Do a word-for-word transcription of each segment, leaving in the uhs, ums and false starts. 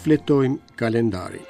Shfletojmë kalendarin.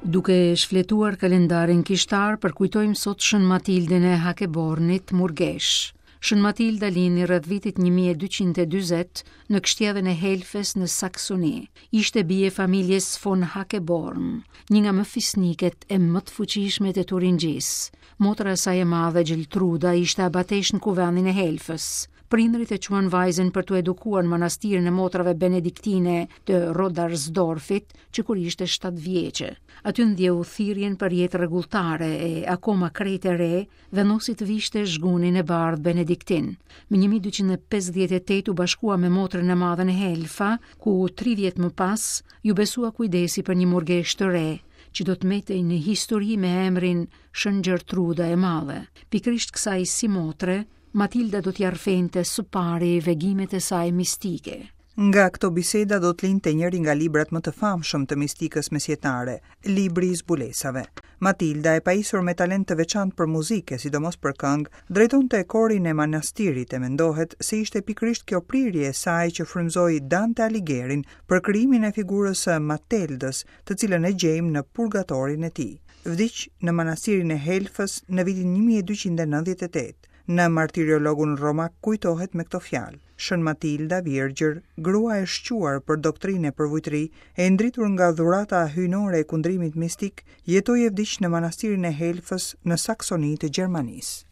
Duke shfletuar kalendarin kishtar, përkujtojmë sot Shën Matildën e Hakebornit, murgesh. Shën Matilda lindi rreth vitit një mijë e dyqind e dyzet në kështjellën e Helfes në Saksoni. Ishte bie familjes von Hakeborn, një nga më fisniket e më të fuqishmet e Turingjisë. Motra e saj e madhe Gjeltruda ishte abatesh në kuvendin e Helfës. Prindrit e quan vajzën për t'u edukuar në manastirin e motrave benediktine të Rodarsdorfit, që kur ishte shtatë vjeçe. Aty ndjeu thirrjen për jetë rregulltare e akoma krejt e re, vendosi të vishte zhgunin e bardhë benediktin. Më një mijë e dyqind e pesëdhjetë e tetë u bashkua me motrën e madhe në Helfa, ku tri vjet më pas ju besua kujdesi për një murgesh të re, që do të metej në histori me emrin Shën Gjertruda e Madhe. Pikërisht kësaj si motre, Matilda do t'ja rrëfente së pari vegimet e saj mistike. Nga këto biseda do të linte njëri nga librat më të famshëm të mistikës mesjetare, Libri i Zbulesave. Matilda, e pajisur me talent të veçantë për muzikë, sidomos për këngë, drejtonte korin e manastirit e mendohet se ishte pikërisht kjo prirje e saj që frymëzoi Dante Alighieri për krijimin e figurës së Mateldës, të cilën e gjejmë në purgatorin e tij. Vdiq në manastirin e Helfës në vitin një mijë e dyqind e nëntëdhjetë e tetë. Në martiriologun romak kujtohet me këto fjalë: Shën Matilda, virgjër, grua e shquar për doktrinë e përvujtëri, e ndritur nga dhurata hyjnore e kundrimit mistik, jetoi e vdiq në manastirin e Helfës në Saksoni të Gjermanisë.